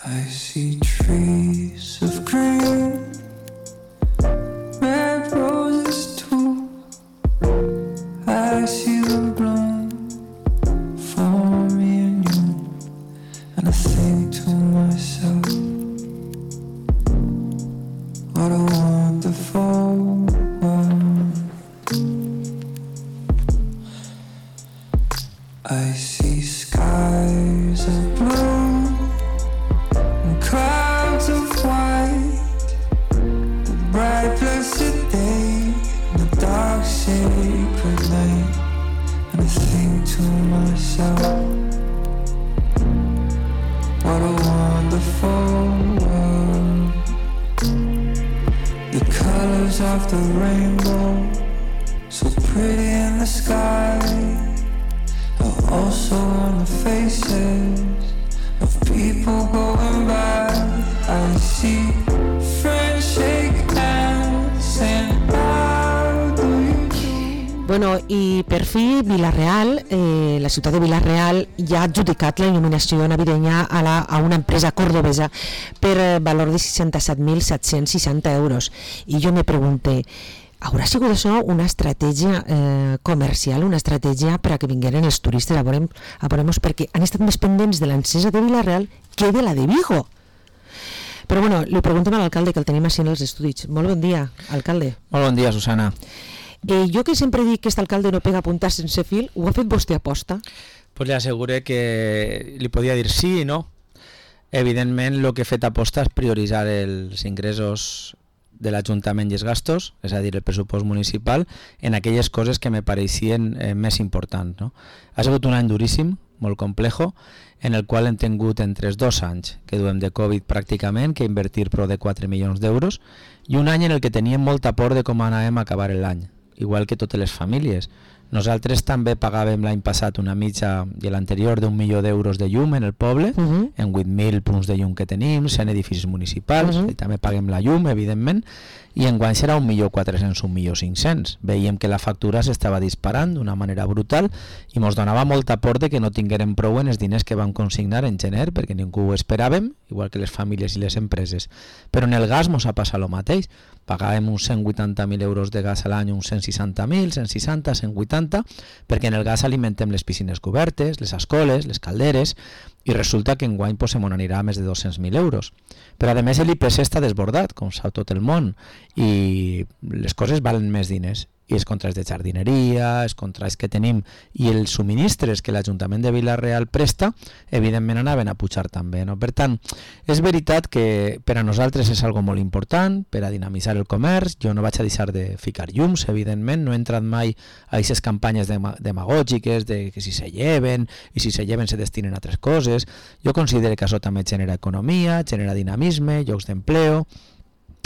I see trees of green, red roses too. I see them bloom for me and you, and I think to myself, what a wonderful world. I see skies of blue and clouds of white, the bright blessed day and the dark sacred night, and I think to myself, what a wonderful world. The colors of the rainbow, so pretty in the sky, are also on the faces of people going by. I see friends shake hands and how do you do? Bueno, i per fi Vila-real, la ciutat de Vila-real ja ha adjudicat la il·luminació navideña a una empresa cordobesa per valor de 67.760 euros. I jo me pregunté, haurà sigut això una estratègia comercial, una estratègia per a que vingueren els turistes a veure-nos, perquè han estat més pendents de l'encesa de Vila-real que de la de Vigo. Però bueno, li preguntem a l'alcalde, que el tenim així en els estudis. Molt bon dia, alcalde. Molt bon dia, Susana. Jo que sempre dic que aquest alcalde no pega puntar sense fil, ho ha fet vostè aposta? Pues le aseguré que li podia dir sí i no. Evidentment, el que he fet aposta és prioritzar els ingressos de l'Ajuntament i els gastos, és a dir, el pressupost municipal, en aquelles coses que me pareixien més importants, no? Ha sigut un any duríssim, molt complejo, en el qual hem tingut entre els 2 anys que duem de Covid pràcticament, que invertir prou de 4 milions d'euros, i un any en el que teníem molta por de com anàvem a acabar l'any, igual que totes les famílies. Nosaltres també pagàvem l'any passat una mitja i l'anterior d'1 milió d'euros de llum en el poble, en 8.000 punts de llum que tenim, 100 edificis municipals, i també paguem la llum, evidentment, i enguany serà 1.400.000, 1.500.000. Veiem que la factura s'estava disparant d'una manera brutal i ens donava molta por de que no tinguérem prou en els diners que vam consignar en gener, perquè ningú ho esperàvem, igual que les famílies i les empreses. Però en el gas ens ha passat el mateix. Pagàvem uns 180.000 euros de gas a l'any, uns 160.000, 160, 180, perquè en el gas alimentem les piscines cobertes, les escoles, les calderes, i resulta que enguany se m'anirà a més de 200.000 euros. Però a més l'IPC està desbordat, com sap tot el món, i les coses valen més diners. I els contrats de jardineria, els contrats que tenim i els subministres que l'Ajuntament de Vila-real presta, evidentment anaven a pujar també, no? Per tant, és veritat que per a nosaltres és algo molt important, per a dinamitzar el comerç. Jo no vaig a deixar de ficar llums, evidentment, no he entrat mai a aquestes campanyes demagògiques de que si se lleven i si se lleven se destinen a altres coses. Jo considero que això també genera economia, genera dinamisme, llocs d'empleo.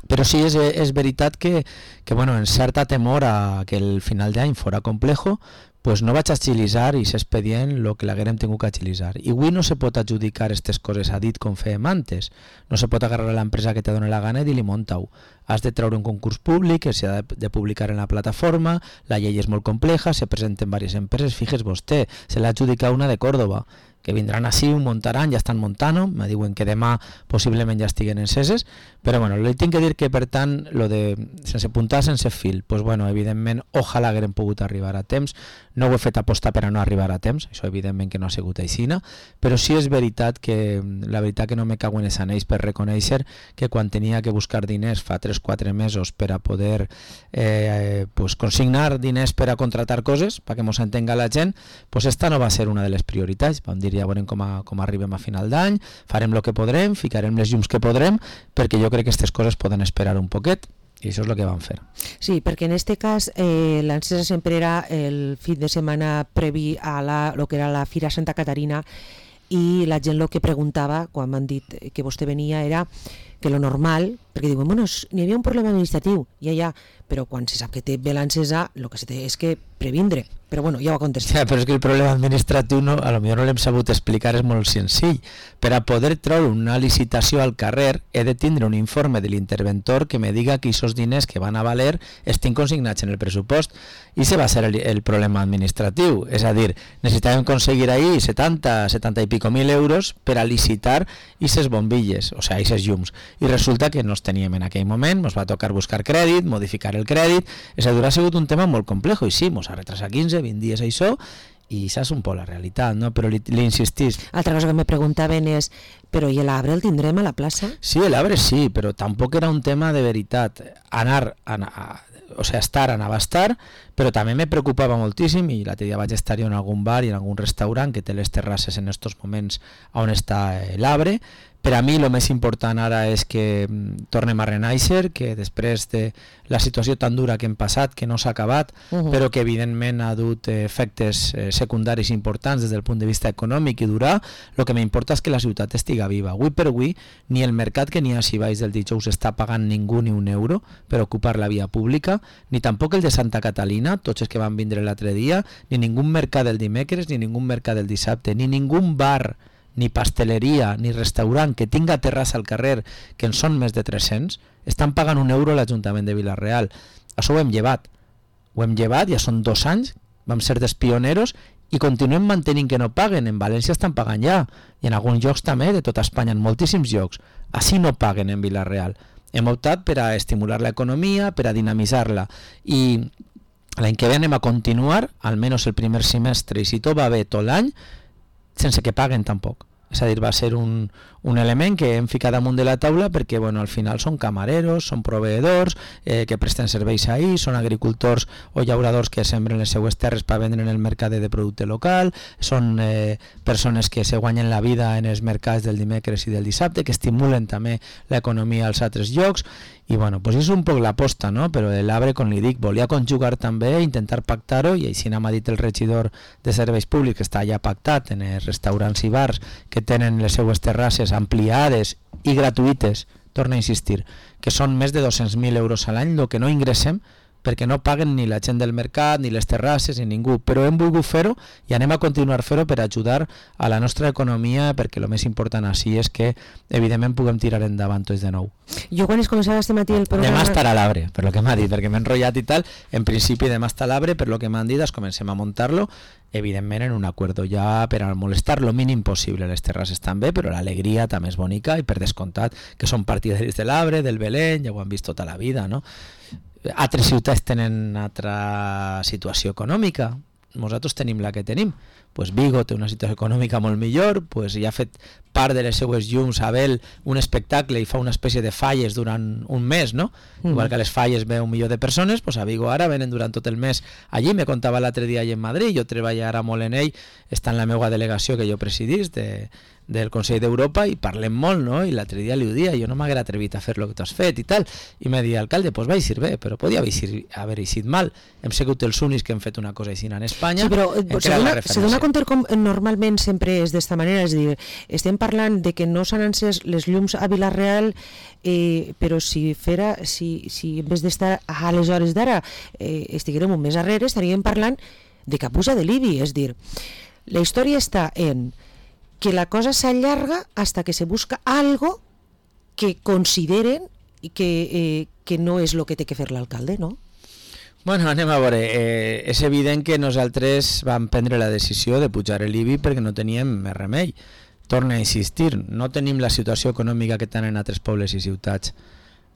Però sí, és veritat que bueno, en certa temor a que el final d'any fora complejo, pues no vaig agilitzar i s'expedient el que l'haguérem tingut que agilitzar. I avui no se pot adjudicar aquestes coses a dit com fèiem antes. No se pot agarrar a l'empresa que te dona la gana i dir-li monta-ho. Has de treure un concurs públic que s'ha de publicar en la plataforma, la llei és molt compleja, se presenten diverses empreses, fíjese vostè, se l'ha adjudicat una de Córdoba, que vindran així, ho muntaran, ja estan muntant-ho, me diuen que demà possiblement ja estiguen enceses, però bueno, li tinc que dir que per tant, lo de sense puntar, sense fil, pues bueno, evidentment, ojalà haguem pogut arribar a temps, no ho he fet apostar per a no arribar a temps, això evidentment que no ha sigut aixina, però sí és veritat que, la veritat que no me cago en els anells per reconèixer que quan tenia que buscar diners fa 3-4 mesos per a poder pues consignar diners per a contratar coses, perquè mos entenga la gent, pues esta no va ser una de les prioritats, vam dir ja veurem com arribem a final d'any, farem el que podrem, ficarem les llums que podrem, perquè jo crec que aquestes coses poden esperar un poquet, i això és el que vam fer. Sí, perquè en aquest cas l'encesa sempre era el fin de setmana previ a lo que era la Fira Santa Caterina, i la gent el que preguntava quan m'han dit que vostè venia era que lo normal, perquè diuen, bueno, n'hi havia un problema administratiu, ja, però quan se sap que té ve l'encesa, el que se té és que previndre, però bueno, ja ho ha contestat. Ja, però és que el problema administratiu a lo millor no l'hem sabut explicar, és molt senzill. Per a poder treure una licitació al carrer he de tindre un informe de l'interventor que me diga que aquests diners que van a valer estin consignats en el pressupost, i se va ser el problema administratiu, és a dir, necessitàvem aconseguir ahir 70 i pico mil euros per a licitar aquestes bombilles, o sigui, aquests llums, i resulta que no els teníem en aquell moment, ens va tocar buscar crèdit, modificar el crèdit, és a dir, ha sigut un tema molt complex, i sí, ens ha retrasat 15, 20 dies això, i això és un poc la realitat, no? Però li insistís. Altra cosa que me preguntaven és, però i l'arbre el tindrem a la plaça? Sí, l'arbre sí, però tampoc era un tema de veritat. Estar anava a estar, però també me preocupava moltíssim, i l'altre dia vaig estar en algun bar i en algun restaurant que té les terrasses en aquests moments on està l'arbre. Per a mi el més important ara és que tornem a renaixer, que després de la situació tan dura que hem passat, que no s'ha acabat, però que evidentment ha dut efectes secundaris importants des del punt de vista econòmic i durar, el que m'importa és que la ciutat estiga viva. Avui per avui, ni el mercat que n'hi ha si baix del dijous està pagant ningú ni un euro per ocupar la via pública, ni tampoc el de Santa Catalina, tots els que van vindre l'altre dia, ni ningú mercat del dimecres, ni ningú mercat del dissabte, ni ningú bar, ni pasteleria, ni restaurant que tinga terrassa al carrer, que en són més de 300, estan pagant un euro a l'Ajuntament de Vila-real. Això ho hem llevat, ja són 2 anys, vam ser dels pioneros i continuem mantenint que no paguen. En València estan pagant ja, i en alguns llocs també, de tota Espanya, en moltíssims llocs. Així no paguen en Vila-real. Hem optat per a estimular l'economia, per a dinamitzar-la, i l'any que ve anem a continuar, almenys el primer semestre, i si tot va bé tot l'any, sense que paguen tampoc. És a dir, va ser un element que hem ficat damunt de la taula perquè al final són camareros, són proveïdors que presten serveis ahir, són agricultors o llauradors que sembren les seues terres per vendre en el mercat de producte local, són persones que se guanyen la vida en els mercats del dimecres i del dissabte, que estimulen també l'economia als altres llocs, i és un poc l'aposta, no? Però l'arbre, com li dic, volia conjugar també, intentar pactar-ho, i així m'ha dit el regidor de serveis públics, que està ja pactat en els restaurants i bars que tenen les seues terrasses ampliades i gratuïtes, torno a insistir, que són més de 200.000 euros a l'any, el que no ingressem, perquè no paguen ni la gent del mercat, ni les terrasses, ni ningú, però hem volgut fer-ho i anem a continuar fer-ho per ajudar a la nostra economia, perquè el més important així és que, evidentment, puguem tirar endavant tots de nou. Jo quan es començava este matí el programa... Demà estarà l'arbre, per lo que m'ha dit, perquè m'he enrotllat i tal, en principi demà està l'arbre, per lo que m'han dit, comencem a muntar-lo, evidentment en un acuerdo ja per a molestar lo mínim possible les terrasses també, però l'alegria també és bonica, i per descomptat que són partidaris de l'arbre, del Belén, ja ho han vist tota la vida, no? Altres ciutats tenen altra situació econòmica, nosaltres tenim la que tenim. Vigo té una situació econòmica molt millor, ja ha fet part de les seues llums a Bel un espectacle i fa una espècie de falles durant un mes, no? Igual que a les falles ve 1 milió de persones, a Vigo ara venen durant tot el mes. Allí me contava l'altre dia allà en Madrid, jo treballo ara molt en ell, està en la meva delegació que jo presidís del Consell d'Europa, i parlem molt, no? I l'altre dia li ho dia, jo no m'haguera atrevit a fer el que tu has fet i tal, i me deia, alcalde, va eixir bé, però podia haver eixit mal. Hem sigut els únics que hem fet una cosa així en Espanya. Sí, però se dona compte com normalment sempre és d'esta manera, és a dir, estem parlant de que no s'han encès les llums a Vila-real, però si en vez d'estar a les hores d'ara estiguérem un mes arrere, estaríem parlant de que puja de l'IBI, és dir, la història està en que la cosa s'allarga hasta que se busca algo que consideren que no és el que té que fer l'alcalde, no? Anem a veure. És evident que nosaltres vam prendre la decisió de pujar l'IBI perquè no teníem més remei. Torno a insistir, no tenim la situació econòmica que tenen altres pobles i ciutats.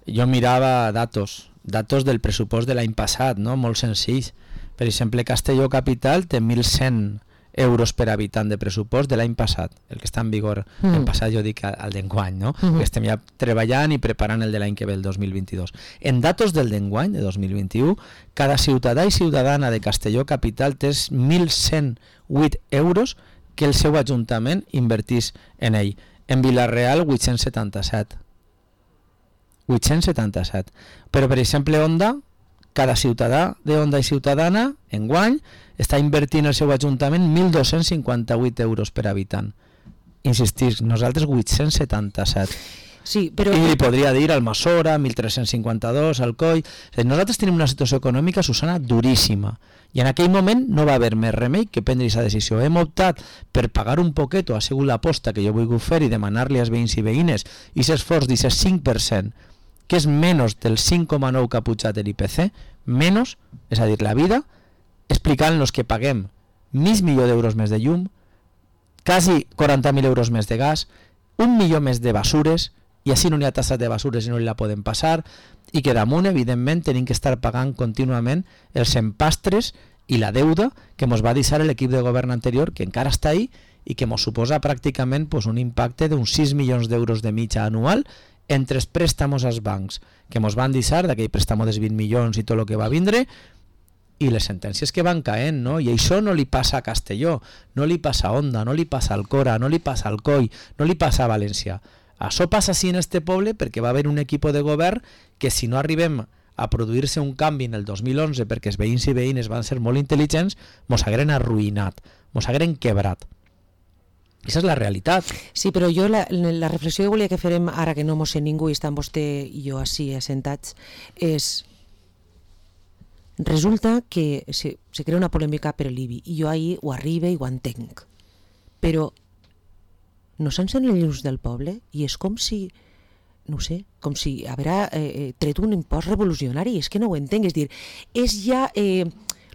Jo mirava datos del pressupost de l'any passat, no? Molt senzills. Per exemple, Castelló Capital té 1.100 euros per habitant de pressupost de l'any passat, el que està en vigor l'any passat, jo dic el d'enguany, no? Que estem ja treballant i preparant el de l'any que ve, el 2022. En datos del d'enguany, de 2021, cada ciutadà i ciutadana de Castelló Capital té 1.108 euros que el seu ajuntament invertís en ell. En Vila-real, 877. 877. Però, per exemple, Onda, cada ciutadà d'Onda i ciutadana, enguany, està invertint el seu ajuntament 1.258 euros per habitant. Insistir, nosaltres 877. Sí, però... I li podria dir al Masora, 1352, al Coi... Nosaltres tenim una situació econòmica, Susana, duríssima. I en aquell moment no va haver més remei que prendre aquesta decisió. Hem optat per pagar un poquet, ha sigut l'aposta que jo vull fer i demanar-li als veïns i veïnes i s'esforç d'aquest 5%, que és menys del 5,9 que ha pujat l'IPC, menys, és a dir, la vida, explicant-nos que paguem $500.000 més de llum, quasi 40.000 euros més de gas, 1 milió més de basures, i així no hi ha tassa de basures i no li la podem passar, i que damunt, evidentment, tenim que estar pagant contínuament els empastres i la deuda que ens va deixar l'equip de govern anterior, que encara està ahí, i que ens suposa pràcticament un impacte d'uns 6 milions d'euros de mitja anual entre els préstamos als bancs, que ens van deixar d'aquell préstamo dels 20 milions i tot el que va vindre, i les sentències que van caent, no? I això no li passa a Castelló, no li passa a Onda, no li passa al Cora, no li passa al Coi, no li passa a València. Això passa així en este poble perquè va haver un equip de govern que si no arribem a produir-se un canvi en el 2011 perquè els veïns i veïnes van ser molt intel·ligents, mos hagueren arruïnat, mos hagueren quebrat. Aquesta és la realitat. Sí, però jo la reflexió que volia que farem ara que no mos sé ningú i estan vostè i jo així assentats és... Resulta que se crea una polèmica per l'IBI i jo ahir ho arribe i ho entenc, però no s'encén els llums del poble i és com si, no sé, com si haurà tret un impost revolucionari, és que no ho entenc, és dir, és ja...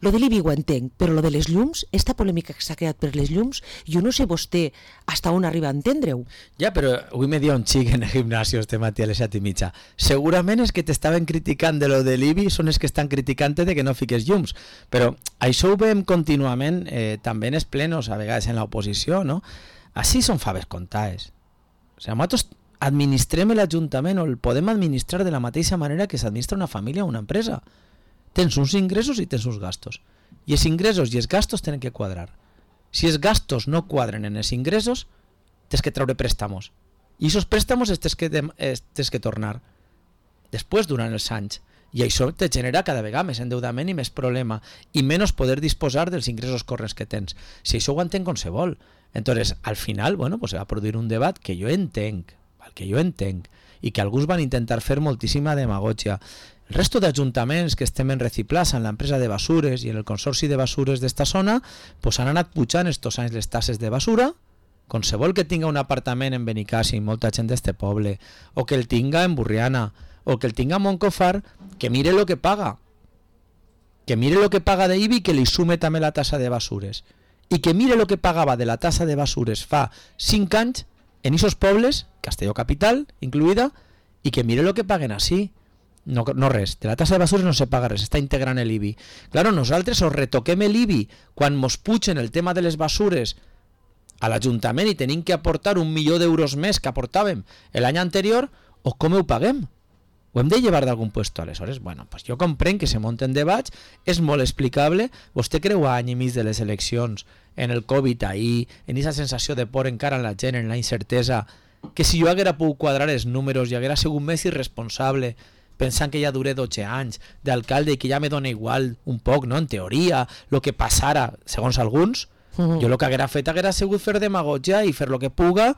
Lo de l'IBI ho entenc, però lo de les llums, esta polèmica que s'ha creat per les llums, jo no sé vostè hasta on arriba a entendre-ho. Ja, però avui me dia un xic en el gimnasio este matí a les 7:30. Segurament és que t'estaven criticant de lo de l'IBI, són els que estan criticant de que no fiques llums. Però això ho veiem contínuament també en els plenos, a vegades en l'oposició, no? Així són faves comptades. O sigui, nosaltres administrem l'Ajuntament o el podem administrar de la mateixa manera que s'administra una família o una empresa. Tens uns ingressos i tens uns gastos. I els ingressos i els gastos tenen que quadrar. Si els gastos no quadren en els ingressos, tens que treure préstamos. I aquests préstamos tens que tornar després durant els anys. I això te genera cada vegada més endeudament i més problema i menys poder disposar dels ingressos corrents que tens. Si això ho entenc qualsevol. Entonces, al final, bueno, pues se va produir un debat que jo entenc, i que alguns van intentar fer moltíssima demagògia. El resto d'ajuntaments que estem en Reciplaça, en l'empresa de basures i en el consorci de basures d'esta zona, pues han anat pujant estos anys les tasses de basura. Qualsevol que tinga un apartament en Benicàssim, molta gent d'este poble, o que el tinga en Burriana, o que el tinga a Montcofar, que mire lo que paga. Que mire lo que paga de IBI i que li sume també la tassa de basures. I que mire lo que pagava de la tassa de basures fa 5 anys en esos pobles, Castelló Capital incluïda, i que mire lo que paguen així. No res, de la tassa de basures no se paga res, està integrant l'IBI. Claro, nosaltres os retoquem l'IBI quan mos pugen el tema de les basures a l'Ajuntament i tenim que aportar 1 milió d'euros més que aportàvem l'any anterior, o com ho paguem? Ho hem de llevar d'algun puesto. Aleshores, bueno, pues jo comprenc que se munten debats, és molt explicable. Vostè creu a any i mig de les eleccions, en el Covid ahir, en aquesta sensació de por encara en la gent, en la incertesa, que si jo haguera pogut quadrar els números i haguera sigut més irresponsable pensant que ja duré 12 anys d'alcalde i que ja me dona igual un poc, no? En teoria, el que passara, segons alguns, jo el que haguera fet haguera sigut fer demagògia i fer el que puga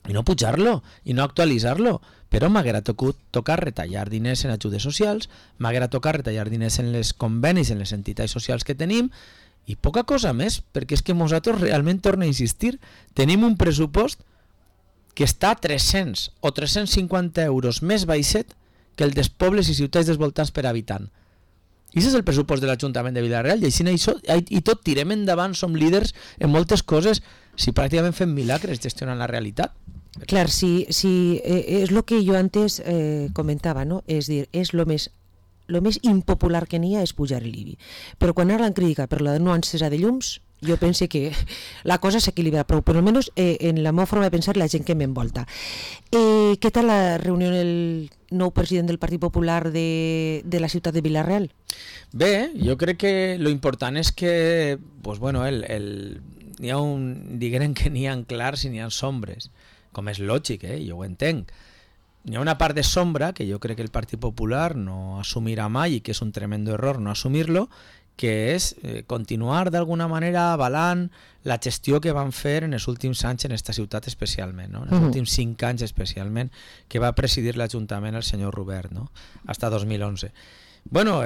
i no pujar-lo, i no actualitzar-lo. Però m'haguera tocat retallar diners en ajudes socials, m'haguera tocat retallar diners en les convenis, en les entitats socials que tenim, i poca cosa més, perquè és que nosaltres realment, torno a insistir, tenim un pressupost que està a 300 o 350 euros més baixet que el dels pobles i ciutats dels voltants per habitant. I aquest és el pressupost de l'Ajuntament de Vila-real, i així i tot tirem endavant, som líders en moltes coses, si pràcticament fem milagres gestionant la realitat. Clar, sí, és el que jo antes comentava, no? És dir, és lo més impopular que n'hi ha és pujar l'IBI. Però quan ara l'han criticat per la no encesa de llums, jo pense que la cosa s'equilibra prou, però almenys en la meva forma de pensar la gent que m'envolta. Què tal la reunió amb el nou president del Partit Popular de la ciutat de Vila-real? Bé, jo crec que lo important és que pues bueno, diguem que n'hi ha clars i n'hi ha sombres, com és lògic, jo ho entenc. Hi ha una part de sombra que jo crec que el Partit Popular no assumirà mai i que és un tremendo error no assumir-lo, que és continuar d'alguna manera avalant la gestió que van fer en els últims anys en aquesta ciutat especialment, no? En els últims 5 anys especialment, que va presidir l'Ajuntament el senyor Robert, no? Hasta 2011. Bueno,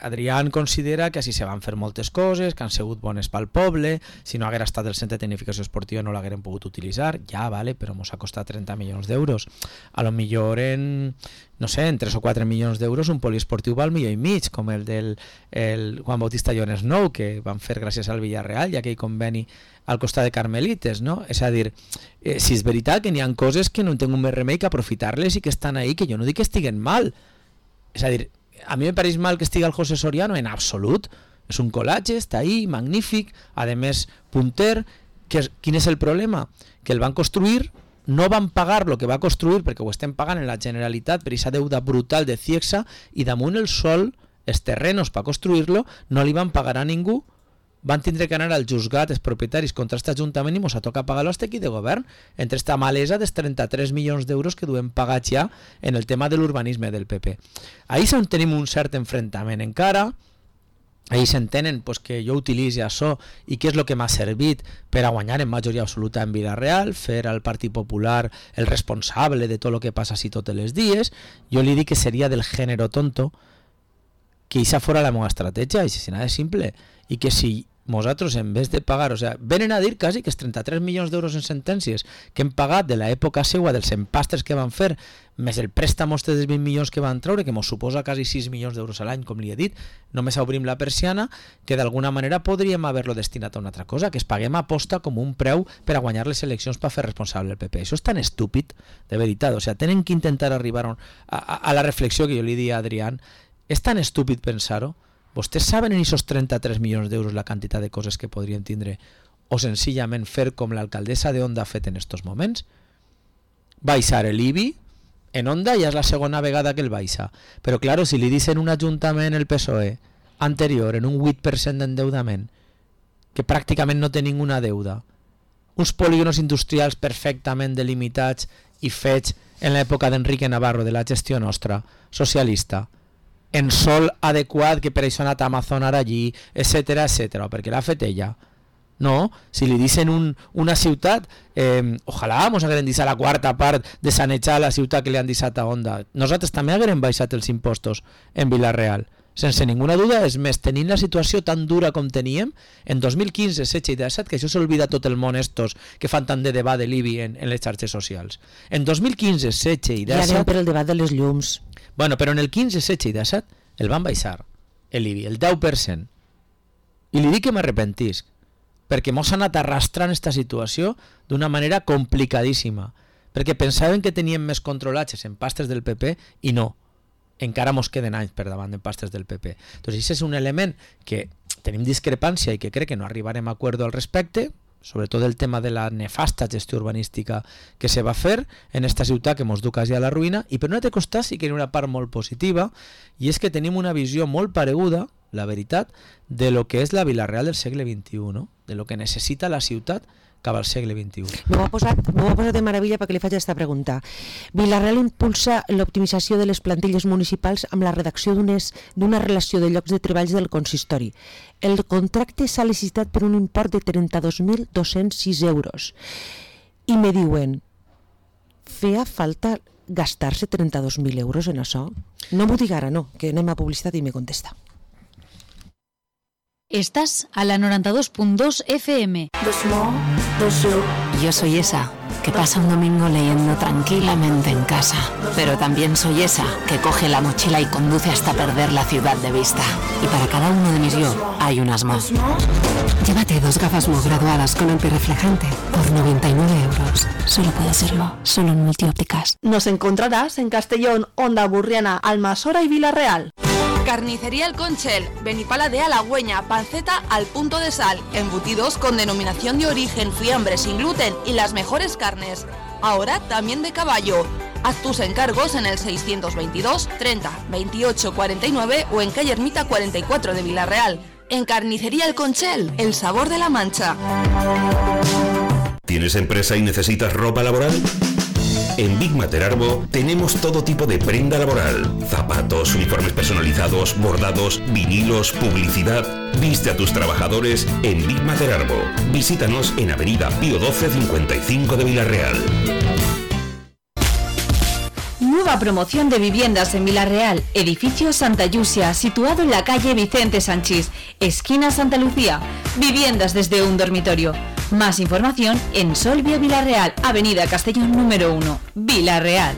Adrián considera que així se van fer moltes coses, que han sigut bones pel poble, si no haguera estat el centre de tecnificació esportiva no l'hagueren pogut utilitzar, ja, vale, però mos ha costat 30 milions d'euros. A lo millor en, no sé, en 3 o 4 milions d'euros un poliesportiu val milió i mig, com el del Juan Bautista Llones Nou, que van fer gràcies al Villarreal, i aquell conveni al costat de Carmelites, no? És a dir, si és veritat que n'hi ha coses que no tinc més remei que aprofitar-les i que estan ahí, que jo no dic que estiguen mal. És a dir, a mi me pareix mal que estigui el José Soriano en absolut. És un colatge, està ahí, magnífic, a més punter. Quin és el problema? Que el van construir, no van pagar el que va construir perquè ho estem pagant en la Generalitat per aquesta deuda brutal de Ciexsa, i damunt el sol, els terrenos per construir-lo, no li van pagar a ningú, van tindre que anar al juzgat els propietaris contra aquest Ajuntament i mos ha tocat pagar-lo este equip de govern entre esta malesa dels 33 milions d'euros que duem pagats ja en el tema de l'urbanisme del PP. Ahí és on tenim un cert enfrontament encara. Ahí s'entenen pues, que jo utilitzi això i què és el que m'ha servit per a guanyar en majoria absoluta en Villarreal, fer al Partit Popular el responsable de tot el que passa així tots els dies. Jo li dic que seria del género tonto que això fora la meva estratègia, i si nada és simple, i que si nosaltres en vez de pagar, o sea, venen a dir quasi que els 33 milions d'euros en sentències que hem pagat de l'època seua dels empastres que van fer, més el préstamo dels 20 milions que van treure, que mos suposa quasi 6 milions d'euros a l'any, com li he dit, només obrim la persiana, que d'alguna manera podríem haver-lo destinat a una altra cosa, que es paguem a posta com un preu per a guanyar les eleccions per fer responsable el PP. Això és tan estúpid, de veritat, o sea, tenen que intentar arribar a la reflexió que jo li dic a Adrián. És tan estúpid pensar-ho. Vostès saben en aquests 33 milions d'euros la quantitat de coses que podrien tindre o senzillament fer com l'alcaldessa de Onda ha fet en estos moments? Baixar l'IBI en Onda ja és la segona vegada que el baixa, però claro, si li dicen un ajuntament el PSOE anterior en un 8% d'endeudament, que pràcticament no té ninguna deuda, uns polígonos industrials perfectament delimitats i fets en l'època d'Enrique Navarro de la gestió nostra, socialista, en sol adequat, que per això ha anat a Amazon ara allí, etcètera, perquè l'ha fet ella. No, si li dicen una ciutat, ojalà mos hagueren deixat la quarta part de sanejar la ciutat que li han deixat a Onda. Nosaltres també hagueren baixat els impostos en Villarreal, sense ninguna duda. És més, tenint la situació tan dura com teníem, en 2015, 16 i 17, que això s'olvida tot el món estos que fan tant de debat de l'IBI en les xarxes socials. En 2015, 16 i 17... Ja anem per el debat de les llums. Bueno, però en el 15, 16 i 17 el van baixar, l'IBI, el 10%. I li dic que m'arrepentisc, perquè mos han anat arrastrant aquesta situació d'una manera complicadíssima, perquè pensaven que teníem més controlats els empastres del PP i no, encara mos queden anys per davant d'empastres del PP. Doncs això és un element que tenim discrepància i que crec que no arribarem a acord al respecte, sobretot el tema de la nefasta gestió urbanística que se va fer en esta ciutat que mos du quasi a la ruïna. I per un altre costat sí que hi ha una part molt positiva, i és que tenim una visió molt pareguda, la veritat, de lo que és la Villarreal del segle XXI, no? De lo que necessita la ciutat cap al segle XXI. M'ho ha posat de meravella perquè li faig aquesta pregunta. Villarreal impulsa l'optimització de les plantilles municipals amb la redacció d'una relació de llocs de treballs del consistori. El contracte s'ha licitat per un import de 32.206 euros. I me diuen, feia falta gastar-se 32.000 euros en això? No m'ho dic ara, no, que anem a publicitat i me contesta. Estás a la 92.2 FM. Yo soy esa que pasa un domingo leyendo tranquilamente en casa, pero también soy esa que coge la mochila y conduce hasta perder la ciudad de vista. Y para cada uno de mis yo hay unas más. Llévate 2 gafas Mo graduadas con antirreflejante por 99 euros. Solo puede serlo, solo en Multiópticas. Nos encontrarás en Castellón, Onda Burriana, Almasora y Villarreal. Carnicería El Conchel, Benipala de Halagüeña, panceta al punto de sal, embutidos con denominación de origen, fiambre sin gluten y las mejores carnes. Ahora también de caballo. Haz tus encargos en el 622 30 28 49 o en calle Ermita 44 de Villarreal. En Carnicería El Conchel, el sabor de la Mancha. ¿Tienes empresa y necesitas ropa laboral? En Big Mater Arbo tenemos todo tipo de prenda laboral: zapatos, uniformes personalizados, bordados, vinilos, publicidad. Viste a tus trabajadores en Big Mater Arbo. Visítanos en Avenida Pío 12 55 de Villarreal. Nueva promoción de viviendas en Villarreal, edificio Santa Yusia, situado en la calle Vicente Sanchís, esquina Santa Lucía. Viviendas desde un dormitorio. Más información en Solvio Villarreal, Avenida Castellón número 1, Villarreal.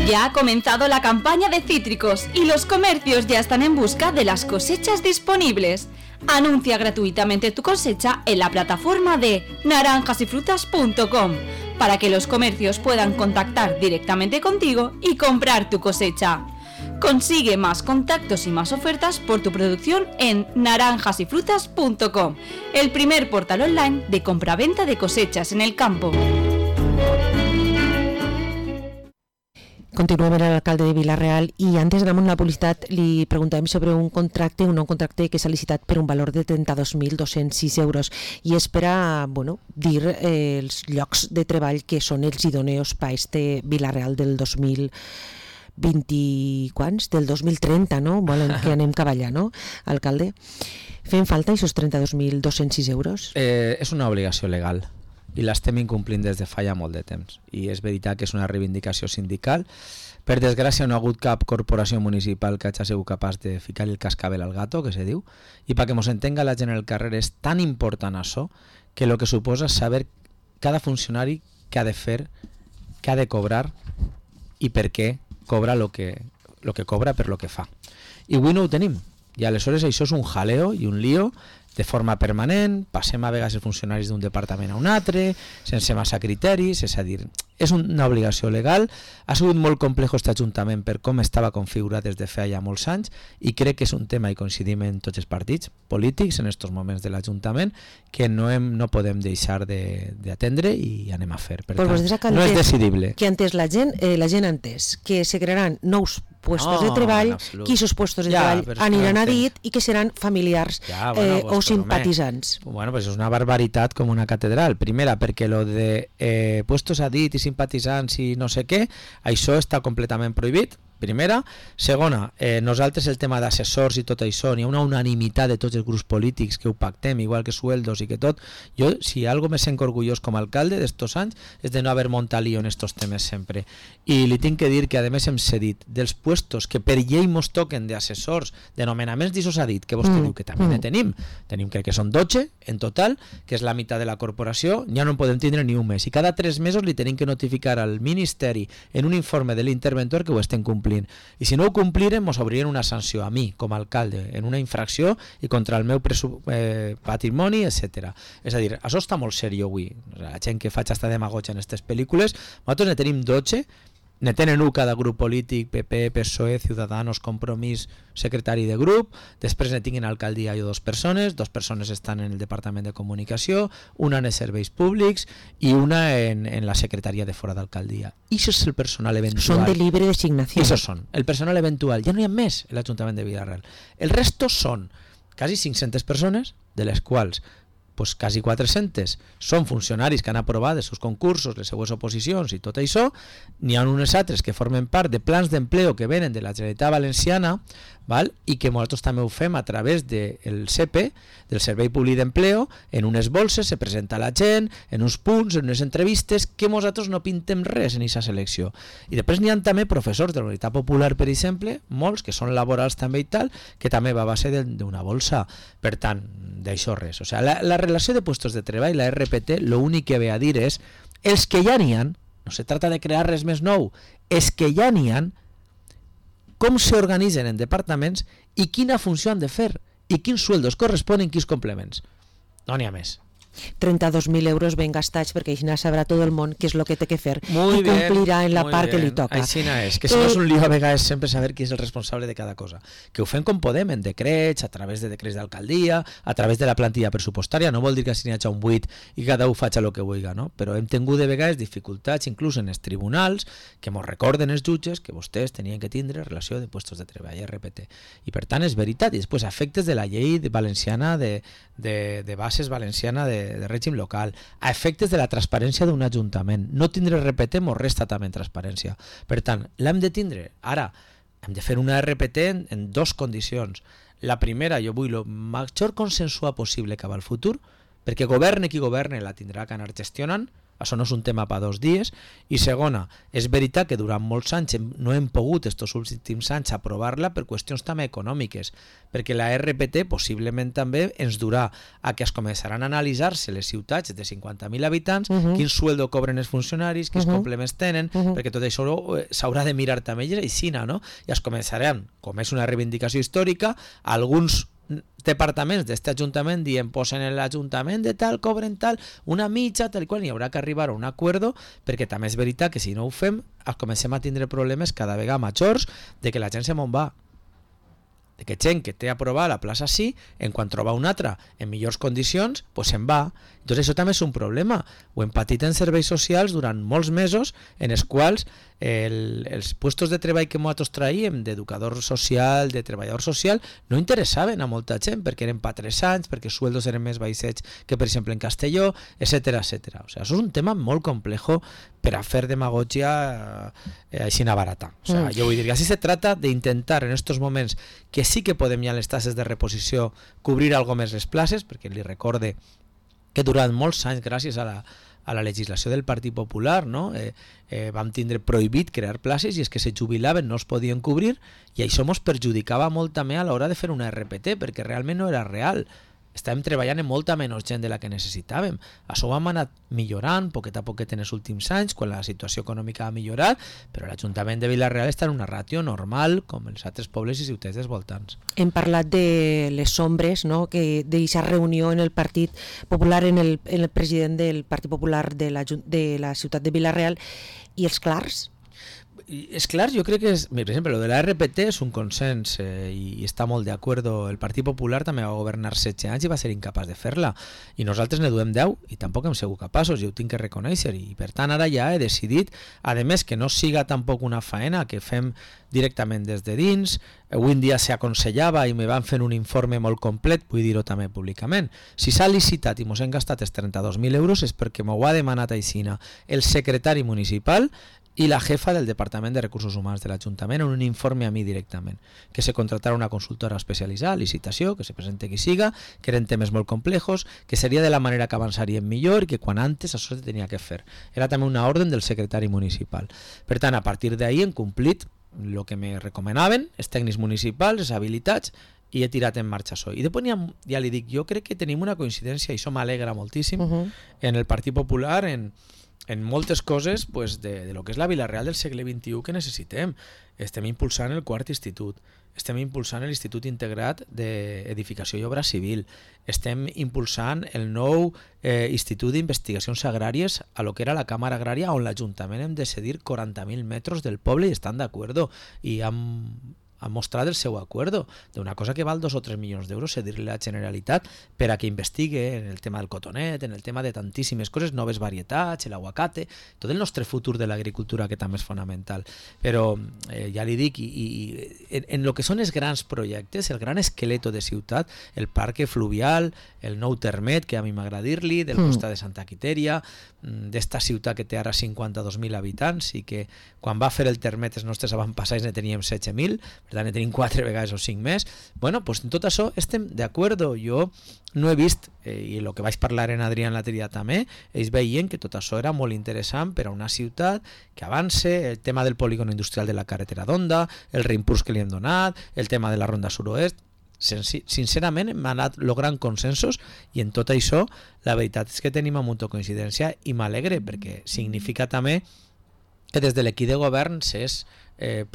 Ya ha comenzado la campaña de cítricos y los comercios ya están en busca de las cosechas disponibles. Anuncia gratuitamente tu cosecha en la plataforma de naranjasyfrutas.com para que los comercios puedan contactar directamente contigo y comprar tu cosecha. Consigue más contactos y más ofertas por tu producción en naranjasyfrutas.com, el primer portal online de compraventa de cosechas en el campo. Continuem amb l'alcalde de Vila-real i antes d'anar amb la publicitat li preguntàvem sobre un nou contracte que s'ha licitat per un valor de 32.206 euros i és per a dir els llocs de treball que són els idoneus per a este Vila-real del 2020, del 2030, no? Volen que anem cavallar, no, alcalde? Fem falta aquests 32.206 euros? És una obligació legal i l'estem incomplint des de fa ja molt de temps, i és veritat que és una reivindicació sindical. Per desgràcia no ha hagut cap corporació municipal que hagi sigut capaç de ficar el cascabel al gato, que se diu, i perquè mos entenga la gent en el carrer és tan important això que el que suposa saber cada funcionari què ha de fer, què ha de cobrar i per què cobra lo que cobra per lo que fa. I avui no ho tenim, i aleshores això és un jaleo i un lío de forma permanent, passem a vegades els funcionaris d'un departament a un altre, sense massa criteris, és a dir, és una obligació legal. Ha sigut molt complex aquest Ajuntament per com estava configurat des de fa ja molts anys i crec que és un tema, i coincidim en tots els partits polítics en aquests moments de l'Ajuntament, que no podem deixar d'atendre i anem a fer. Per tant, no és decidible. Que antes la gent ha entès que se crearan nous puestos de treball, que aquests puestos de treball aniran a dit i que seran familiars o simpatitzants. Bueno, pues és una barbaritat com una catedral. Primera, perquè lo de puestos a dit i simpatitzants i no sé què, això està completament prohibit. Primera. Segona, nosaltres el tema d'assessors i tot això, n'hi ha una unanimitat de tots els grups polítics que ho pactem, igual que sueldos i que tot. Jo, si algo me sento orgullós com a alcalde d'estos anys, és de no haver muntat lío en estos temes sempre. I li tinc que dir que, a més, hem cedit dels puestos que per llei mos toquen d'assessors, de nomenaments d'ixos ha dit, que vostè diu que també ne tenim. Tenim, crec que són 12 en total, que és la meitat de la corporació, ja no en podem tindre ni un mes. I cada 3 mesos li tenim que notificar al Ministeri en un informe de l'interventor que ho estem complint. I si no ho complirem, mos obririen una sanció a mi, com a alcalde, en una infracció i contra el meu patrimoni, etc. És a dir, això està molt seriós avui. La gent que faig esta demagogia en aquestes pel·lícules, nosaltres ne tenim 12, ne tenen un cada grup polític, PP, PSOE, Ciudadanos, Compromís, secretari de grup, després ne tinguin alcaldia i 2 persones estan en el Departament de Comunicació, una en els serveis públics i una en la secretaria de fora d'alcaldia. I això és el personal eventual. Són de libre designació. Això són, el personal eventual. Ja no hi ha més en l'Ajuntament de Villarreal. El resto són quasi 500 persones, de les quals pues quasi 400 són funcionaris que han aprovat els seus concursos, les seues oposicions i tot això. N'hi ha unes altres que formen part de plans d'empleo que venen de la Generalitat Valenciana, val? I que nosaltres també ho fem a través del CEPE, del Servei Públic d'Empleo, en unes bolses, se presenta la gent, en uns punts, en unes entrevistes, que nosaltres no pintem res en aquesta selecció. I després n'hi ha també professors de la Universitat Popular, per exemple, molts, que són laborals també i tal, que també va a base d'una bolsa. Per tant, d'això res. O sigui, la relació de puestos de treball, la RPT, l'únic que ve a dir és els que ja n'hi ha, no se trata de crear res més nou, els que ja n'hi ha, com s'organitzen en departaments i quina funció han de fer i quins sueldos corresponen, quins complements. No n'hi ha més. 32.000 euros ben gastats perquè així sabrà tot el món què és el que té que fer i complirà en la part que li toca. Així és, que si no és un lío a vegades sempre saber qui és el responsable de cada cosa. Que ho fem com podem, en decrets, a través de decrets d'alcaldia, a través de la plantilla pressupostària. No vol dir que si n'hi hagi un buit i cada un faci el que vulgui, no? Però hem tingut de vegades dificultats inclús en els tribunals que mos recorden els jutges que vostès tenien que tindre relació de puestos de treball, RPT. I per tant és veritat. I després efectes de la llei valenciana de bases valenciana de règim local, a efectes de la transparència d'un ajuntament. No tindre RPT mos resta també en transparència. Per tant, l'hem de tindre. Ara, hem de fer una RPT en dos condicions. La primera, jo vull el major consensuat possible cap al futur, perquè governe qui governe la tindrà que anar gestionant. Això no és un tema per 2 dies. I segona, és veritat que durant molts anys no hem pogut estos últims anys aprovar-la per qüestions també econòmiques, perquè la RPT possiblement també ens durà a que es començaran a analitzar-se les ciutats de 50.000 habitants, quin sueldo cobren els funcionaris, quins complements tenen, perquè tot això s'haurà de mirar també aixina, no? I es començaran, com és una reivindicació històrica, alguns departaments d'este ajuntament dient posen en l'ajuntament de tal, cobren tal, una mitja, tal i qual, i haurà que arribar a un acuerdo, perquè també és veritat que si no ho fem comencem a tindre problemes cada vegada majors de que la gent se me'n va, de que gent que té aprovada la plaça sí, en quan troba una altra en millors condicions, pues se'n va. Entonces això també és un problema. Ho hem patit en serveis socials durant molts mesos en els quals els puestos de treball que nosaltres traiem d'educador social, de treballador social, no interessaven a molta gent perquè eren per 3 anys, perquè els sueldos eren més baixets que per exemple en Castelló, etc. etc. O sea, això és un tema molt complejo per a fer demagogia així barata. O sea, jo vull dir que així se trata d'intentar en estos moments que sí que podem ja les tasses de reposició cobrir algo més les places, perquè li recorde que durant molts anys, gràcies a la legislació del Partit Popular, no? Vam tindre prohibit crear places i és que se jubilaven, no es podien cobrir, i això ens perjudicava molt també a l'hora de fer una RPT, perquè realment no era real. Estàvem treballant en molta menys gent de la que necessitàvem. Això ho hem anat millorant poquet a poquet en els últims anys, quan la situació econòmica ha millorat, però l'Ajuntament de Vila-real està en una ràtio normal, com els altres pobles i ciutats dels voltants. Hem parlat de les ombres, no? Que d'aquesta reunió en el Partit Popular, en el president del Partit Popular de la ciutat de Vila-real, i els clars? És clar, jo crec que per exemple, lo de la RPT és un consens i està molt d'acord. El Partit Popular també va governar 16 anys i va ser incapaç de fer-la, i nosaltres ne duem 10 i tampoc hem sigut capaços, i ho tinc que reconèixer, i per tant ara ja he decidit, a més que no siga tampoc una faena que fem directament des de dins. Avui en dia s'aconsellava i me van fer un informe molt complet, vull dir-ho també públicament. Si s'ha licitat i mos hem gastat els 32.000 euros és perquè m'ho ha demanat aixina el secretari municipal i la jefa del Departament de Recursos Humans de l'Ajuntament en un informe a mi directament, que se contratara una consultora especialitzada, licitació, que se presente qui siga, que eren temes molt complejos, que seria de la manera que avançaríem millor i que quan antes això se tenia que fer. Era també una ordre del secretari municipal. Per tant, a partir d'ahir hem complit el que me recomanaven els tècnics municipals, els habilitats, i he tirat en marxa això. I després ja li dic, jo crec que tenim una coincidència, i això m'alegra moltíssim, en el Partit Popular, en moltes coses pues, de lo que és la Vila-real del segle XXI que necessitem. Estem impulsant el 4 institut, estem impulsant l'Institut Integrat d'Edificació i Obra Civil, estem impulsant el nou Institut d'Investigacions Agràries a lo que era la Càmera Agrària, on l'Ajuntament hem de cedir 40.000 metres del poble i estan d'acord, i ha mostrat el seu acuerdo d'una cosa que val 2 o 3 milions d'euros, cedir-li a la Generalitat per a que investigue en el tema del cotonet, en el tema de tantíssimes coses, noves varietats, l'aguacate, tot el nostre futur de l'agricultura, que també és fonamental. Però ja li dic, en el que són els grans projectes, el gran esqueleto de ciutat, el parc fluvial, el nou termet, que a mi m'agrada dir-li, del costat de Santa Quitèria, d'esta ciutat que té ara 52.000 habitants i que quan va fer el termet els nostres avantpassats ne teníem 16.000, per tant ne tenim 4 vegades o 5 més. Bueno, pues en tot això estem d'acord. Jo no he vist, i el que vaig parlar en Adrià en l'altre dia també, ells veien que tot això era molt interessant per a una ciutat que avance, el tema del polígon industrial de la carretera d'Onda, el reimpuls que li hem donat, el tema de la ronda sud-oest. Sincerament hem anat logrant consensos, i en tot això la veritat és que tenim molta coincidència, i m'alegre perquè significa també que des de l'equip de govern s'és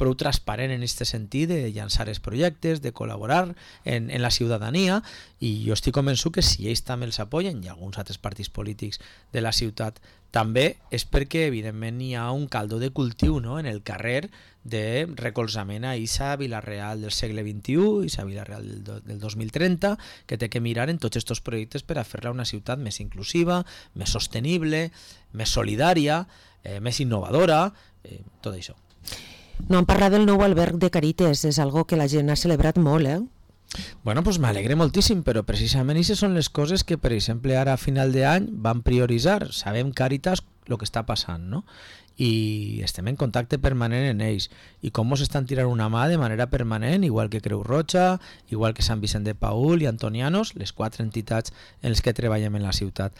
prou transparent en aquest sentit de llançar els projectes, de col·laborar en la ciutadania, i jo estic convençut que si ells també els apoyen, i alguns altres partits polítics de la ciutat també, és perquè evidentment hi ha un caldo de cultiu, no?, en el carrer de recolzament a aquesta Vila-real del segle XXI, aquesta Vila-real del 2030, que té que mirar en tots aquests projectes per a fer-la una ciutat més inclusiva, més sostenible, més solidària, més innovadora, tot això. No han parlat del nou alberg de Carites, és algo que la gent ha celebrat molt, Bueno, pues m'alegre moltíssim, però precisament aquestes són les coses que, per exemple, ara a final d'any van prioritzar. Sabem, Càritas, el que està passant, no? I estem en contacte permanent en ells. I com ens estan tirant una mà de manera permanent, igual que Creu Roja, igual que Sant Vicent de Paül i Antonianos, les 4 entitats en les que treballem en la ciutat.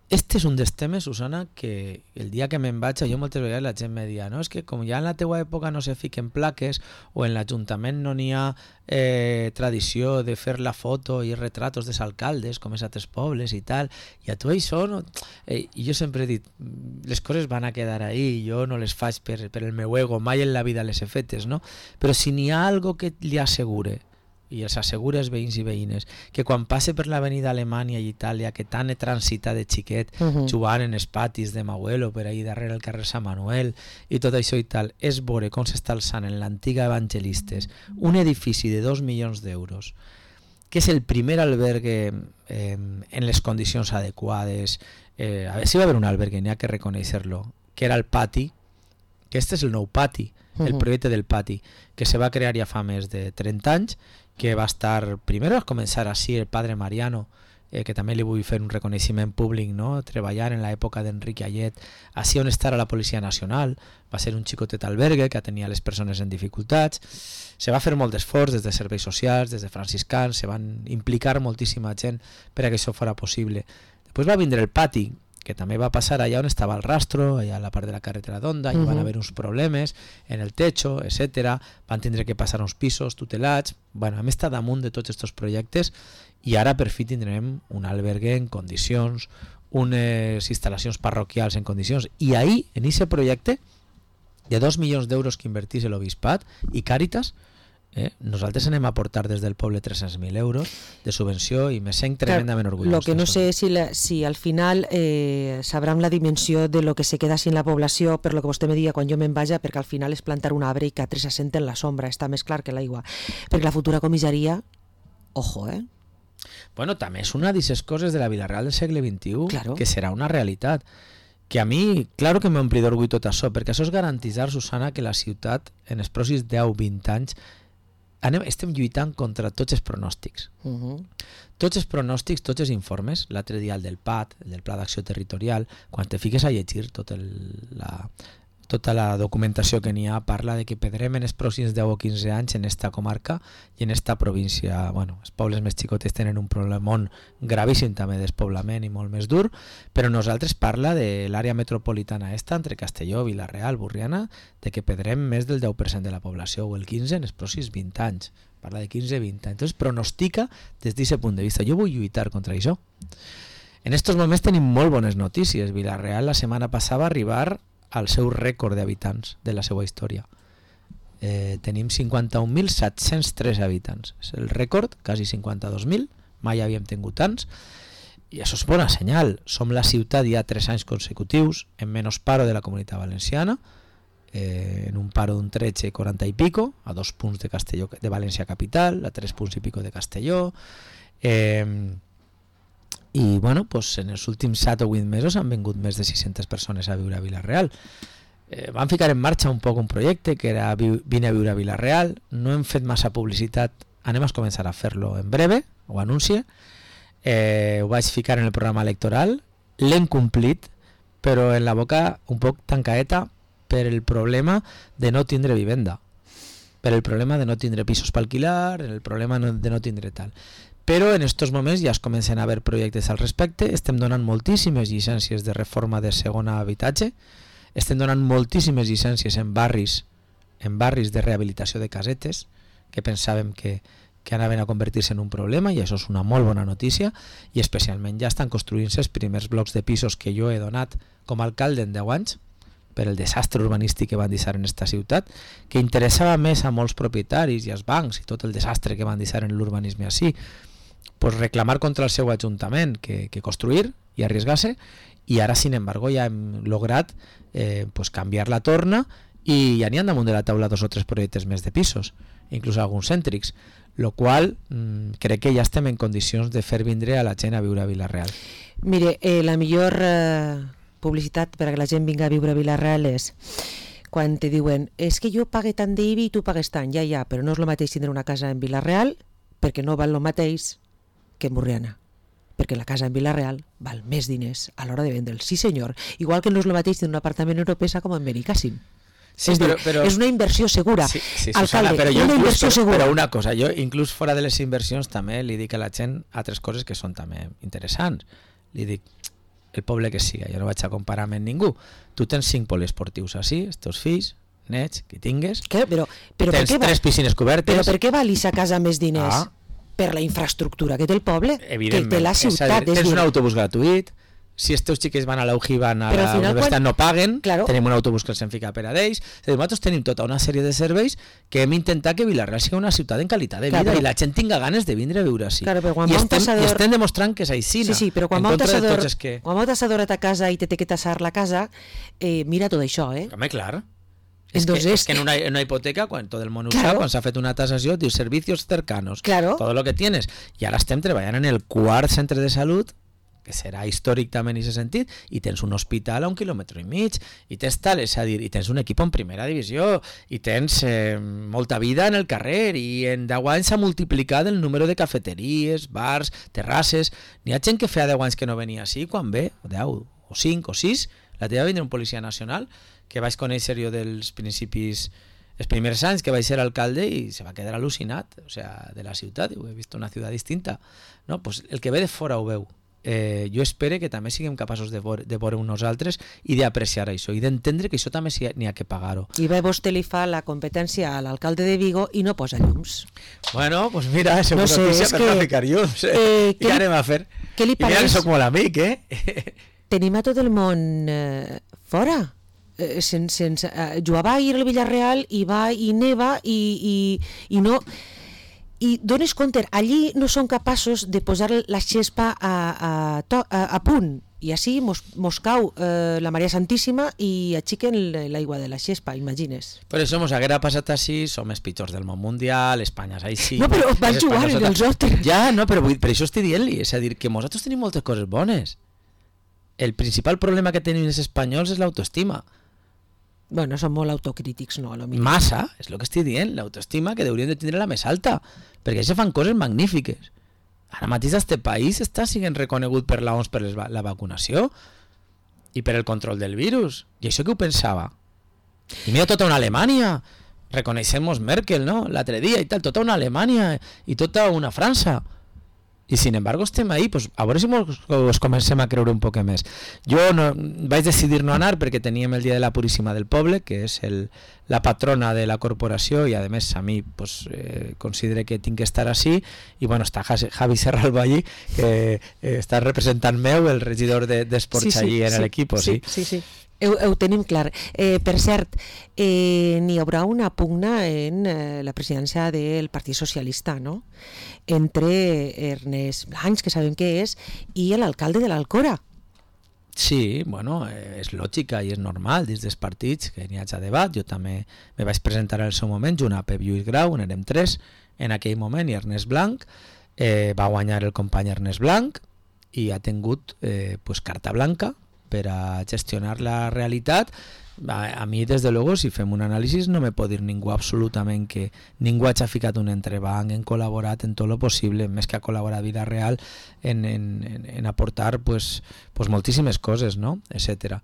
Este és un dels temes, Susana, que el dia que me'n vaig, jo moltes vegades la gent me dia, no? És que com ja en la teua època no se fiquen plaques o en l'Ajuntament no n'hi ha tradició de fer la foto i retratos dels alcaldes com és a altres pobles i tal, i a tu això no... I jo sempre he dit, les coses van a quedar ahí, jo no les faig per el meu ego, mai en la vida les he fetes, no? Però si n'hi ha algo que li assegure, i els assegura els veïns i veïnes, que quan passe per l'avenida Alemanya i Itàlia, que tant he transitat de xiquet, jugant en els patis de Mauelo, per ahí darrere el carrer Sant Manuel, i tot això i tal, és veure com s'està alçant en l'antiga Evangelistes un edifici de 2 milions d'euros, que és el primer albergue en les condicions adequades. A veure si va haver un albergue, n'hi ha que reconèixer-lo, que era el pati, que este és el nou pati, el projecte del pati, que se va crear ja fa més de 30 anys, que va estar, primer va començar així el padre Mariano, que també li vull fer un reconeixement públic, no? Treballar en l'època d'Enric Ayet, així on estarà la Policia Nacional, va ser un xicotet albergue que atenia les persones en dificultats, se va fer molt d'esforç des de serveis socials, des de franciscans, se van implicar moltíssima gent per a que això fora possible. Després va vindre el pati, que també va passar allà on estava el rastro, allà a la part de la carretera d'Onda, i van haver uns problemes en el techo, etc. Van tindre que passar uns pisos tutelats. Bueno, hem estat damunt de tots aquests projectes i ara per fi tindrem un albergue en condicions, unes instal·lacions parroquials en condicions. I ahir, en aquest projecte, de 2 milions d'euros que invertís l'Obispat i Càritas, nosaltres anem a aportar des del poble 300.000 euros de subvenció i me sent tremendament orgullós. Lo que no sé si al final sabrem la dimensió de lo que se queda sin la població, per lo que vostè me diga quan jo me'n vaja, perquè al final és plantar un arbre i que altres s'assenten en la sombra, està més clar que l'aigua. Perquè la futura comissaria, ojo, Bueno, també és una d'aquestes coses de la vida real del segle XXI, claro, que serà una realitat. Que a mi, claro que m'ompli d'orgull tot això, perquè això és garantitzar, Susana, que la ciutat en els pròxims 10-20 anys estem lluitant contra tots els pronòstics. Tots els pronòstics, tots els informes, l'altre dia el del PAT, el del Pla d'Acció Territorial, quan te fiques a llegir tota la documentació que n'hi ha, parla de que perdrem en els pròxims 10 o 15 anys en esta comarca i en esta província. Bueno, els pobles més xicotes tenen un problemón gravíssim també despoblament i molt més dur, però nosaltres parla de l'àrea metropolitana entre Castelló, Vila-real, Burriana, de que perdrem més del 10% de la població o el 15% en els pròxims 20 anys. Parla de 15-20 anys. Entonces pronostica des d'aquest punt de vista. Jo vull lluitar contra això. En estos moments tenim molt bones notícies. Vila-real la setmana passada va arribar al seu rècord d'habitants de la seva història. Tenim 51.703 habitants. És el rècord, quasi 52.000, mai havíem tingut tants, i això és bona senyal. Som la ciutat ja 3 anys consecutius en menys paro de la Comunitat Valenciana, en un paro d'un 13,40 i pico, a 2 punts de Castelló, de València capital, a 3 punts i pico de Castelló, i bueno, pues en els últims 7 o 8 mesos han vingut més de 600 persones a viure a Vila-real. Van ficar en marxa un poc un projecte que era Vine a viure a Vila-real. No hem fet massa publicitat, anem a començar a fer-lo en breve, ho anuncie. Ho vaig ficar en el programa electoral, l'hem complit, però en la boca un poc tancaeta per el problema de no tindre vivenda, per el problema de no tindre pisos per alquilar, el problema de no tindre tal. Però en aquests moments ja es comencen a haver projectes al respecte, estem donant moltíssimes llicències de reforma de segon habitatge, estem donant moltíssimes llicències en barris de rehabilitació de casetes, que pensàvem que anaven a convertir-se en un problema, i això és una molt bona notícia, i especialment ja estan construint-se els primers blocs de pisos que jo he donat com a alcalde en 10 anys, per el desastre urbanístic que van deixar en esta ciutat, que interessava més a molts propietaris i als bancs i tot el desastre que van deixar en l'urbanisme així, pues reclamar contra el seu ajuntament que construir i arriesgar-se, i ara, sin embargo, ja hem lograt pues canviar la torna i ja n'hi ha damunt de la taula 2 o 3 projectes més de pisos, inclús alguns cèntrics, lo qual crec que ja estem en condicions de fer vindre a la gent a viure a Vila-real. Mire, la millor publicitat per a que la gent vinga a viure a Vila-real és quan te diuen és que jo pague tant d'IBI i tu pagues tant, ja, però no és el mateix tindre una casa en Vila-real perquè no val el mateix que en Borriana, perquè la casa en Vila-real val més diners a l'hora de vendre'l. Sí senyor, igual que no és el mateix d'un apartament europeu com en Benicàssim. Sí, però és una inversió segura. Sí, Alcalde, Susana, però una inversió segura. Però una cosa, jo inclús fora de les inversions també li dic a la gent altres coses que són també interessants. Li dic, el poble que siga, jo no vaig a comparar amb ningú. Tu tens 5 poliesportius així, els teus fills, nets, que tingues, però tens 3 piscines cobertes. Però per què val a casa més diners? Per la infraestructura que té el poble, que té la ciutat. Tens un autobús gratuït, si els teus xiquets van a la UJI, van a la universitat, no paguen, tenim un autobús que els en fica per a d'ells. Nosaltres tenim tota una sèrie de serveis que hem intentat que Vila-real sigui una ciutat en qualitat de vida i la gent tinga ganes de vindre a viure així. I estem demostrant que és així. Sí, però quan vau tassador a ta casa i te té que tassar la casa, mira tot això, Home, clar. Es que en una hipoteca, quan tot el món ho sap, quan s'ha fet una tasació, diu servicios cercanos, todo lo que tienes. I ara estem treballant en el 4º centre de salut, que serà històric també en aquest sentit, i tens un hospital a 1,5 quilòmetres, i tens tal, és a dir, i tens un equip en primera divisió, i tens molta vida en el carrer, i en 10 anys s'ha multiplicat el número de cafeteries, bars, terrasses. N'hi ha gent que feia 10 anys que no venia així, quan ve, 10, o 5, o 6, la teva vindre un policia nacional, que vaig conèixer jo dels principis, els primers anys que vaig ser alcalde, i se va quedar al·lucinat, o sea, de la ciutat, he vist una ciutat distinta. No? Pues el que ve de fora ho veu. Jo espero que també siguem capaços de veure nosaltres i d'apreciar això i d'entendre que això també n'hi ha que pagar-ho. I bé, vostè li fa la competència a l'alcalde de Vigo i no posa llums. Bueno, pues mira, és una notícia per no ficar llums. I què anem a fer? Què li pareix? I mira que soc molt amic, Tenim a tot el món fora. Jo va ir al Villarreal i va i neva i no... I dones compte, allí no són capaços de posar la xespa a punt, i així mos cau la Maria Santíssima i aixequen l'aigua de la xespa, imagines. Per això mos haguera passat així, som els pitjors del món mundial, Espanya és així... No, però van jugar en els altres. Ja, no, però per això estic dient-li, és a dir, que nosaltres tenim moltes coses bones. El principal problema que tenim els espanyols és l'autoestima. Bueno, són molt autocrítics, no? Massa, és el que estic dient, l'autoestima que haurien de tindre la més alta, perquè això fan coses magnífiques. Ara mateix este país està sent reconegut per l'OMS per la vacunació i per el control del virus, i això que ho pensava. I mira tota una Alemanya, reconeixemos Merkel, no? L'altre dia i tal, tota una Alemanya i tota una França. I sin embargo estem ahí, pues a veure si us comencem a creure un poc més. Jo vaig decidir no anar perquè teníem el dia de la Puríssima del Poble, que és la patrona de la corporació, i a més a mi pues, considero que tinc que estar així, i bueno, està Javi Serralbo allí, que està representant meu, el regidor d'esports allí en l'equip. Sí. Ho tenim clar. Per cert, n'hi haurà una pugna en la presidència del Partit Socialista, no? Entre Ernest Blanch, que sabem què és, i l'alcalde de l'Alcora. Sí, bueno, és lògica i és normal dins dels partits que n'hi hagi debat. Jo també me vaig presentar al seu moment junt a Pep Lluís Grau, n'érem 3 en aquell moment, i Ernest Blanch va guanyar el company Ernest Blanch i ha tingut pues, carta blanca per a gestionar la realitat. A mi, des de luego, si fem un anàlisi, no me pot dir ningú absolutament que ningú hagi ficat un entrebanc, hem col·laborat en tot lo possible, més que a col·laborar a Vila-real en aportar pues, moltíssimes coses, no? Etcètera.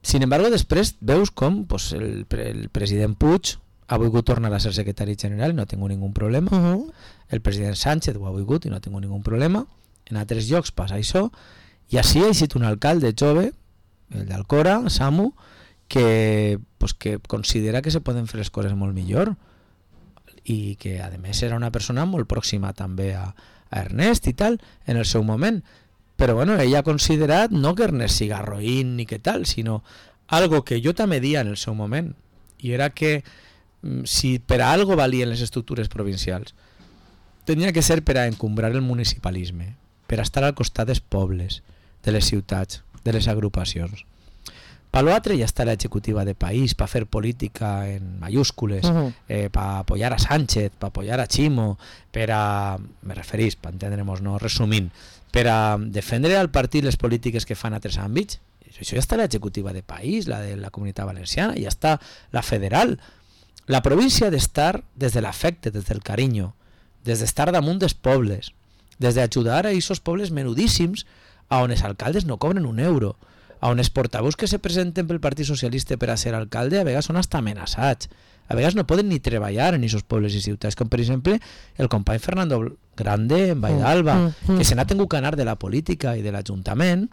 Sin embargo, després veus com pues, el president Puig ha volgut tornar a ser secretari general i no ha tingut ningú problema. El president Sánchez ho ha volgut i no ha tingut ningú problema. En altres llocs passa això. I així ha estat un alcalde jove, el d'Alcora, Samu, que considera que se poden fer les coses molt millor i que a més era una persona molt pròxima també a Ernest i tal en el seu moment, però bueno, ella ha considerat no que Ernest siga roïn ni que tal, sinó algo que jo també dia en el seu moment, i era que si per a algo valien les estructures provincials tenia que ser per a encumbrar el municipalisme, per a estar al costat dels pobles, de les ciutats, de les agrupacions. Per l'altre ja està l'executiva de país, per fer política en mayúscules, per apoyar a Sánchez, per apoyar a Chimo, per a, me referís, per entendre'ns, no resumint, per a defendre al partit les polítiques que fan a altres àmbits. Això ja està l'executiva de país, la de la Comunitat Valenciana, ja està la federal. La província ha d'estar des de l'afecte, des del carinyo, des d'estar damunt dels pobles, des d'ajudar a aquests pobles menudíssims a on els alcaldes no cobren un euro, a on els portaveus que se presenten pel Partit Socialista per a ser alcalde a vegades són hasta amenaçats, a vegades no poden ni treballar en aquests pobles i ciutats, com per exemple el company Fernando Grande en Vall d'Alba, que se n'ha tingut que anar de la política i de l'Ajuntament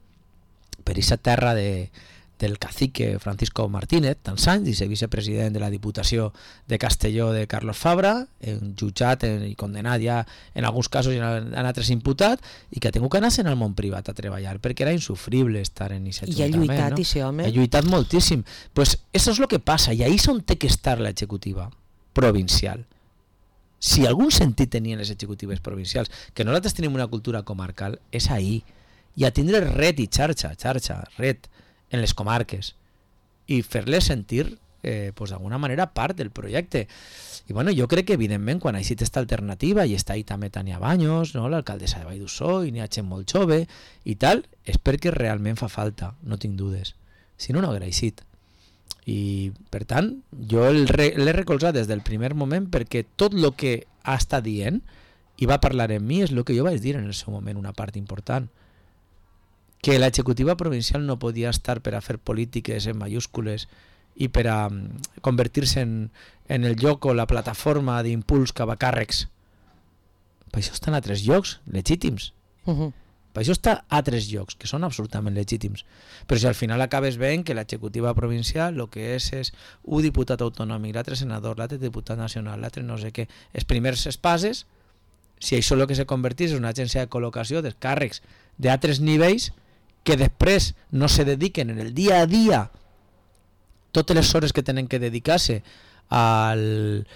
per aquesta terra del cacique Francisco Martínez, tants anys, i ser vicepresident de la Diputació de Castelló de Carlos Fabra, jutjat i condenat ja en alguns casos i en altres imputat, i que ha tingut que anar-se'n al món privat a treballar, perquè era insufrible estar en aquest ajuntament. I ha lluitat, no? Ese home. Ha lluitat moltíssim. Pues eso es lo que passa, i ahí és on té que estar l'executiva provincial. Si algun sentit tenien les executives provincials, que nosaltres tenim una cultura comarcal, és ahí, i a tindre red i xarxa, red, en les comarques i fer-les sentir pues d'alguna manera part del projecte. I bueno, jo crec que evidentment quan ha existit aquesta alternativa i està ahí també Tania Baños, no? L'alcaldessa de Vall d'Ussó, i n'hi ha gent molt jove i tal, és perquè realment fa falta, no tinc dudes, si no, no haguera existit. I per tant jo l'he recolzat des del primer moment, perquè tot el que ha estat dient i va parlar en mi és el que jo vaig dir en el seu moment, una part important, que l'executiva provincial no podia estar per a fer polítiques en mayúscules i per a convertir-se en el lloc o la plataforma d'impuls cap a càrrecs. Per això estan a 3 llocs legítims. Per això està a 3 llocs que són absolutament legítims. Però si al final acabes veient que l'executiva provincial el que és un diputat autonòmic, l'altre senador, l'altre diputat nacional, l'altre no sé què, els primers espases, si això el que se convertís en una agència de col·locació dels càrrecs d'altres nivells que després no se dediquen en el dia a dia totes les hores que tenen que dedicar-se al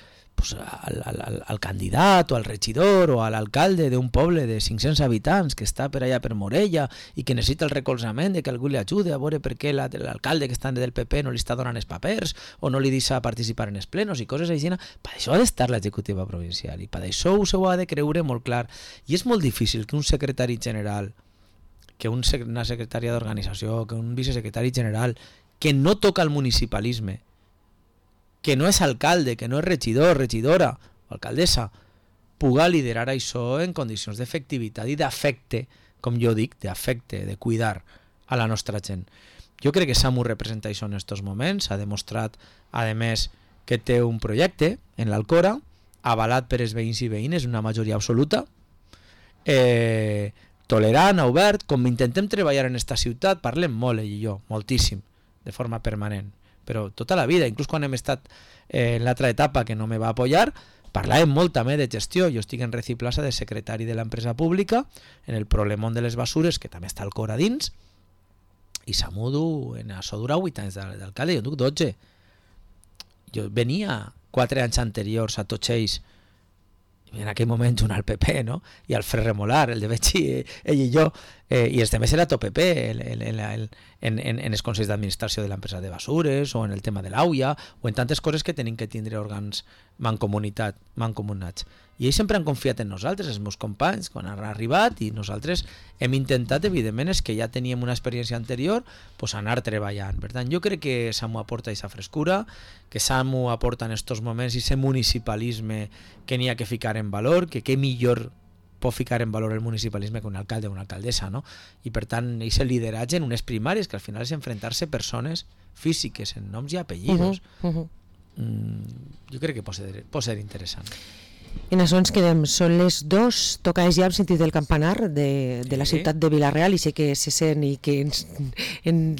candidat o al regidor o a l'alcalde d'un poble de 500 habitants que està per allà per Morella i que necessita el recolzament de que algú li ajude a veure per què l'alcalde que està del PP no li està donant els papers o no li deixa participar en els plenos i coses així. Per això ha d'estar l'executiva provincial i per això ho ha de creure molt clar. I és molt difícil que un secretari general, que una secretària d'organització, que un vicesecretari general que no toca el municipalisme, que no és alcalde, que no és regidor, regidora o alcaldessa, puga liderar això en condicions d'efectivitat i d'afecte, com jo dic, d'afecte, de cuidar a la nostra gent. Jo crec que Samu representa això en aquests moments, ha demostrat, a més, que té un projecte en l'Alcora, avalat per els veïns i veïnes, una majoria absoluta, tolerant, obert, com intentem treballar en esta ciutat, parlem molt ell i jo, moltíssim, de forma permanent, però tota la vida, inclús quan hem estat en l'altra etapa que no me va apoyar, parlàvem molt també de gestió. Jo estic en Reciplaza de secretari de l'empresa pública, en el problemón de les basures, que també està al cor a dins, i Samudu en això dura 8 anys d'alcalde, jo duc 12. Jo venia 4 anys anteriors a tots ells, en aquell moment junt al PP, no? I al Fred Remolar, el de Betxi, ell i jo, i els temes era tot PP en els consells d'administració de l'empresa de basures o en el tema de l'AUIA o en tantes coses que tenim que tindre òrgans mancomunats. I ells sempre han confiat en nosaltres, els meus companys, quan han arribat, i nosaltres hem intentat, evidentment, és que ja teníem una experiència anterior, pues anar treballant. Per tant, jo crec que Samu aporta aquesta frescura, que Samu aporta en aquests moments aquest municipalisme que n'hi ha que ficar en valor, que què millor pot ficar en valor el municipalisme que un alcalde o una alcaldessa, no? I per tant, aquest lideratge en unes primàries, que al final és enfrontar-se persones físiques en noms i apellidos. Jo crec que pot ser interessant. En això ens quedem, són les 2, toca ja hem sentit el campanar de la ciutat de Vila-real i sé que se sent i que ens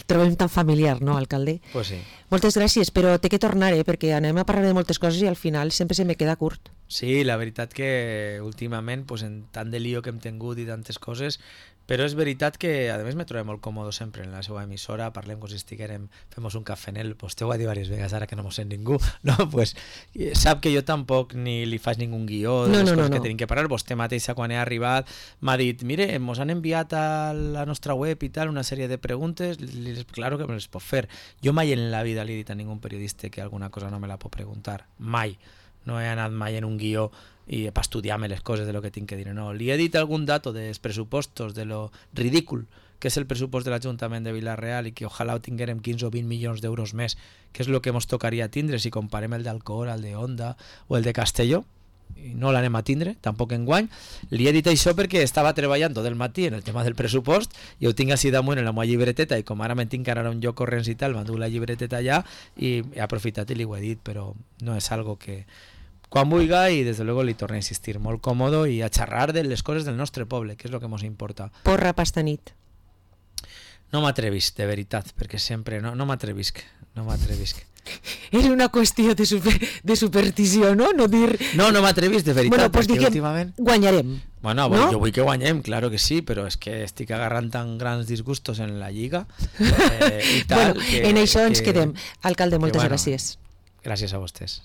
trobem tan familiar, no, alcalde? Pues sí. Moltes gràcies, però té que tornar, perquè anem a parlar de moltes coses i al final sempre se me queda curt. Sí, la veritat que últimament, pues, en tant de lío que hem tingut i tantes coses, però és veritat que, a més, me trobem molt còmodo sempre en la seva emissora, parlem com si estiguérem, fem un cafenel, pues t'ho va dir diverses vegades, ara que no mos sent ningú, no? Pues sap que jo tampoc ni li faig ningú guió de les coses que tenim que parlar. Vostè mateixa, quan he arribat, m'ha dit, mire, mos han enviat a la nostra web i tal una sèrie de preguntes, claro que me les pot fer. Jo mai en la vida li he dit a ningú periodista que alguna cosa no me la pot preguntar, mai. No he anat mai en un guió i per estudiar-me les coses de lo que tinc que dir. No, li he dit algun dato dels pressupostos, de lo ridícul que és el pressupost de l'Ajuntament de Vila-real i que ojalà ho tinguérem 15 o 20 milions d'euros més, que és el que ens tocaria tindre si comparem el d'Alcora, el de Onda o el de Castelló, no l'anem a tindre, tampoc enguany. Li he dit això perquè estava treballant tot el matí en el tema del pressupost i ho tinc així damunt en la meva llibreteta, i com ara me'n tinc que anar a un lloc corrents i tal, m'enduc la llibreteta allà i he aprofitat i li ho he dit, però no és algo que quan vulga, i des de luego li torno a insistir, molt còmodo i a xerrar de les coses del nostre poble, que és el que ens importa. Porra pasta nit. No m'atrevisc, de veritat, perquè sempre no m'atrevisc. És una qüestió de superstició, no? No dir... No m'atrevisc, de veritat, bueno, pues perquè últimament... guanyarem. Bueno, no? Jo vull que guanyem, claro que sí, però és que estic agarrant tan grans disgustos en la Lliga i tal... Bueno, en això ens quedem. Alcalde, moltes gràcies. Gràcies a vostès.